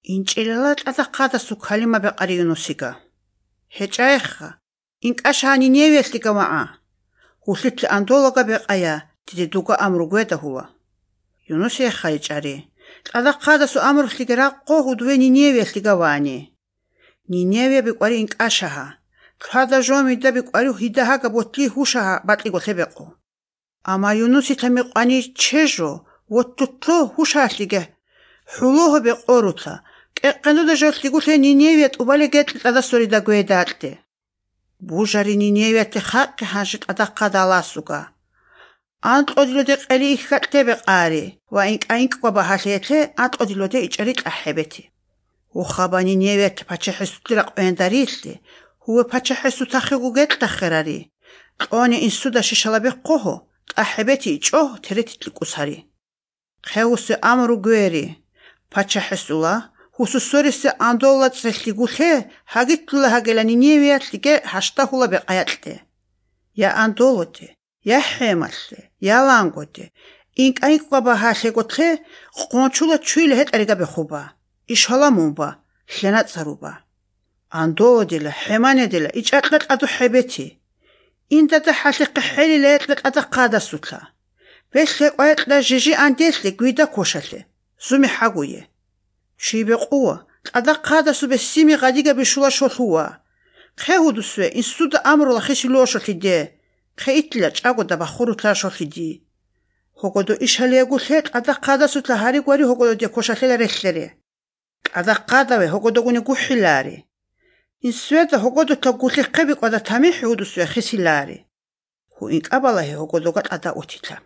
ინჭილელა ტადახადა სუქალიმა ბეყარი იუნუსიგა. ჰეჭაეხა, ინკაშანი ნიევესლიგა ვაა. ჰუსლიტლი ანდოლაგა ბეყაია, დიდი დუგა ამრუგვედა ჰუა. იუნუსი ეხა ეჭარი. ტადახადა სუ ამრუხლიგა რაყო ჰუდვე ნიევესლიგა ვაანი. ნინევე ბეყვარი ინკაშაჰა. თლადა ჟომი და ბეყვარი ჰიდაჰაგა ბოტლი ჰუშაჰა ბატლიგო თებეყო. ამა იუნუსი თემეყვანი ჩეჟო, ვოტტუთლო ჰუშაჰლიგა. ჰულოჰ ბეყორუთლა. კეყენდო და ჟოლთლიგულე ნინევე ტუბალე გეტლი ტადასორი და გვედაატლე. ბუჟარი ნინევე თე ხაყი ჰანში ტადახადა ალასუგა. ანტყოდილოდე ყელი იქხატლე ბეყარი. ვა ინკაინკვა ბაჰალეთე ანტყოდილოდე იჭერი ტაჰებეთი. უხაბა ნინევე თე ფაჩეჰესუთლი რაყვენდარილლე. ჰუე ფაჩეჰესუთახეგუ გეტლახერარი. ყონი ინსუდა შიშალაბე ყოჰო. ტაჰებეთი იჭო თერეთიტლი კუსარი. ხეუსე ამრუ გვერი. ფაჩეჰესულა ჰუსუსორისე ანდოლა წრეხლიგულე ჰაგიტლულა ჰაგელანი ნიევიათლიგე ჰაშტაჰულა ბეყაЯტლე. ია ანდოლოდე, ია ჰემალლე, ია ლანგოდე. ინკაინკვა ბაჰალეგოთლე ყონჩულა ჩვილე ჰეტერიგა ბეხუბა. იშალამუმბა, ჰლენაწარუბა. ანდოლოდილა ჰემანედილა იჭატლა ტადუ ჰებეთი. ინდადა ჰალიყი ჰელილე ეტლა ტადახადასუთლა. ვეშლე ყოეტლა ჟიჟი ანდესლე გვიდა ქოშალე. ზუმი ჰაგუye. შიბეყუა ტადახადასუ ბე სიმი ღადიგა ბიშულა შოლუა. ხეუდუსვე ინსუდა ამროლა ხიშილოშოხიდე. ხეიტლა ჭაგოდა ბახურუთლა შოხიდი. ჰოგოდო იშალიაგულე ტადახადასუთლა ჰარიგვარი ჰოგოდო დე ქოშალე რეხლერე. ტადახადავე ჰოგოდო გუნი გუჰილარი. ინსვედა ჰოგოდო თა გულიხები ყოდა თამი ჰეუდუსვე ხისილარი. ჰუ ინკაბალა ჰოგოდო გატადა უთიტლა.